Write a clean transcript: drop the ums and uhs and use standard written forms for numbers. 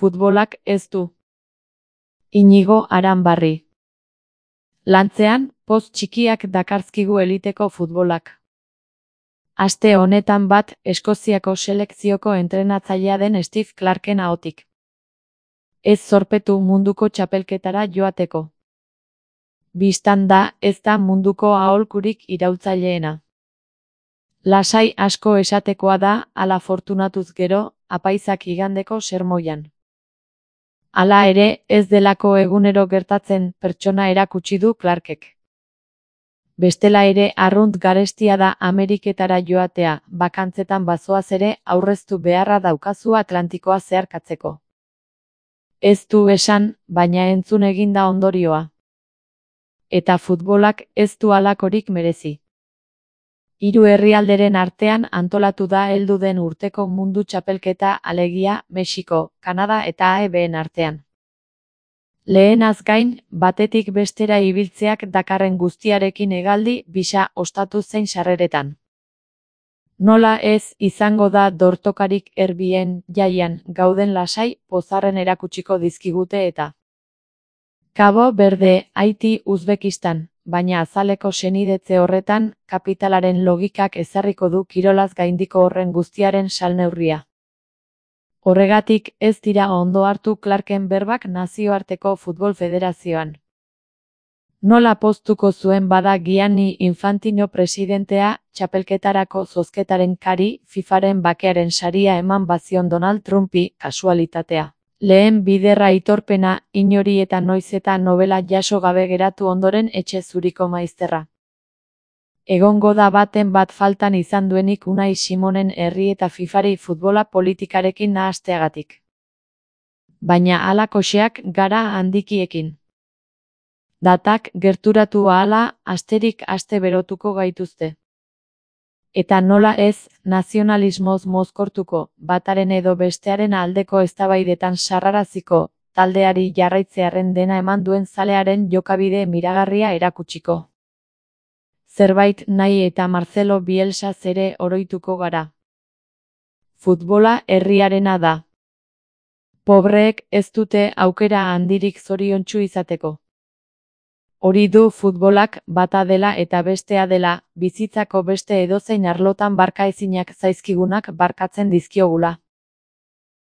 Futbolak ez du. Inigo Aranbarri. Lantzean, poz txikiak dakarzkigu eliteko futbolak. Aste honetan bat, Eskoziako selekzioko entrenatzailea den Steve Clarken ahotik. Ez zorpetu munduko txapelketara joateko. Bistan da, ez da munduko aholkurik iraultzaileena. Lasai asko esatekoa da, ala fortunatuz gero, apaizak igandeko sermoian. Hala ere, ez delako egunero gertatzen pertsona erakutsi du Clarkek. Bestela ere arrunt garestia da Ameriketara joatea, bakantzetan bazoaz ere aurreztu beharra daukazu Atlantikoa zeharkatzeko. Ez du esan, baina entzun eginda ondorioa. Eta futbolak ez du halakorik merezi. 3 herrialderen artean antolatu da heldu den urteko mundu txapelketa alegia Mexiko, Kanada eta AEBen artean. Lehenaz gain, batetik bestera ibiltzeak dakarren guztiarekin hegaldi bisa ostatu zein sarreretan. Nola ez izango da dortokarik erbien jaian gauden lasai pozarren erakutsiko dizkigute eta. Cabo Verde, Haiti, Uzbekistan, baina azaleko senidetze horretan, kapitalaren logikak ezarriko du kirolaz gaindiko horren guztiaren salneurria. Horregatik ez dira ondo hartu Clarken berbak Nazioarteko Futbol Federazioan. Nola poztuko zuen bada Gianni Infantino presidentea, txapelketarako zozketaren kari, FIFaren bakearen saria eman bazion Donald Trumpi, kasualitatea. Lehen biderra aitorpena, inori eta noiz eta novela jaso gabe geratu ondoren etxe zuriko maizterra. Egongo da baten bat faltan izan duenik Unai Simonen herri eta FIFari futbola politikarekin nahasteagatik. Baina halakoxeak gara handikiekin. Datak gerturatu ahala, asterik aste berotuko gaituzte. Eta nola ez, nazionalismoz mozkortuko, bataren edo bestearen aldeko eztabaidetan sarraraziko, taldeari jarraitzearen dena eman duen zalearen jokabide miragarria erakutsiko. Zerbait nahi eta Marcelo Bielsaz ere oroituko gara. Futbola herriarena da. Pobreek ez dute aukera handirik zoriontsu izateko. Hori du futbolak bata dela eta bestea dela, bizitzako beste edozein arlotan barkaezinak zaizkigunak barkatzen dizkiogula.